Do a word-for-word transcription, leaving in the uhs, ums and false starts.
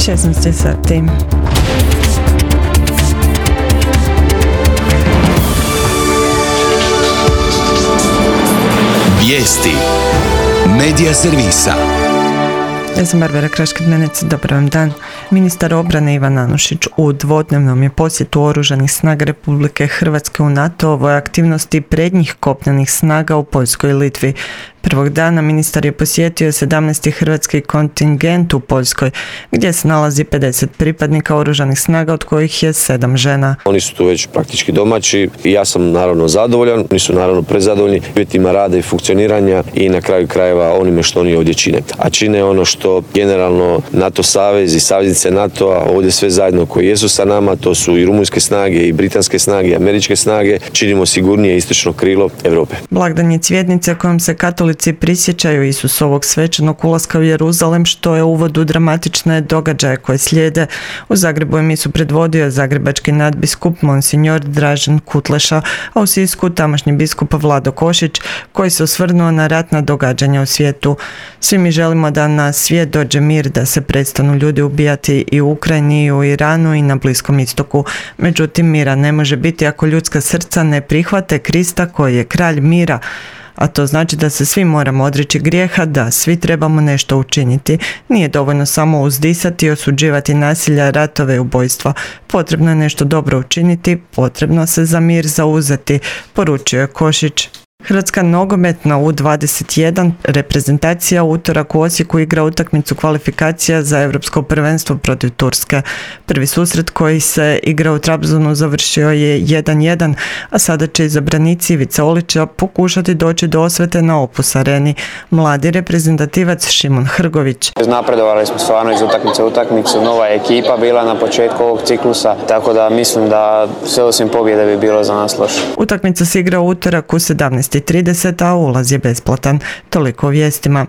šesnaest sati. Vijesti Medija servisa. Ja sam Barbara Kraškid-Menec, dobar vam dan. Ministar obrane Ivan Anušić u dvodnevnom je posjetu Oružanih snaga Republike Hrvatske u NATO-ovoj aktivnosti prednjih kopnenih snaga u Poljskoj i Litvi. Prvog dana ministar je posjetio sedamnaesti hrvatski kontingent u Poljskoj, gdje se nalazi pedeset pripadnika Oružanih snaga, od kojih je sedam žena. Oni su tu već praktički domaći i ja sam naravno zadovoljan, oni su naravno prezadovoljni uvjetima rada i funkcioniranja i na kraju krajeva onime što oni ovdje čine. A čine ono što generalno NATO savez i saveznice NATO-a ovdje sve zajedno koji jesu sa nama, to su i rumunjske snage i britanske snage i američke snage, činimo sigurnije istočno krilo Europe. Blagdan je cvjetnice kojom se katolici prisjećaju Isusovog svečanog ulaska u Jeruzalem, što je uvod u dramatične događaje koje slijede. U Zagrebu je misu predvodio zagrebački nadbiskup Monsignor Dražen Kutleša, a u Sisku tamošnji biskup Vlado Košić, koji se osvrnuo na ratna događanja u svijetu. Svi mi želimo da na svijet dođe mir, da se prestanu ljudi ubijati i u Ukrajini, i u Iranu, i na Bliskom istoku. Međutim, mira ne može biti ako ljudska srca ne prihvate Krista koji je kralj mira. A to znači da se svi moramo odreći grijeha, da svi trebamo nešto učiniti. Nije dovoljno samo uzdisati i osuđivati nasilja, ratove i ubojstva. Potrebno je nešto dobro učiniti, potrebno se za mir zauzeti, poručio je Košić. Hrvatska nogometna U dvadeset jedan reprezentacija u utorak u Osijeku igra utakmicu kvalifikacija za Europsko prvenstvo protiv Turske. Prvi susret koji se igra u Trabzonu završio je jedan jedan, a sada će izabranici Ivice Olića pokušati doći do osvete na Opus areni. Mladi reprezentativac Šimon Hrgović. Napredovali smo stvarno iz utakmice u utakmicu, nova je ekipa bila na početku ovog ciklusa, tako da mislim da sve osim pobjede bi bilo za nas loše. Utakmica se igra u utorak u sedamnaest i trideset, a ulaz je besplatan. Toliko o vijestima.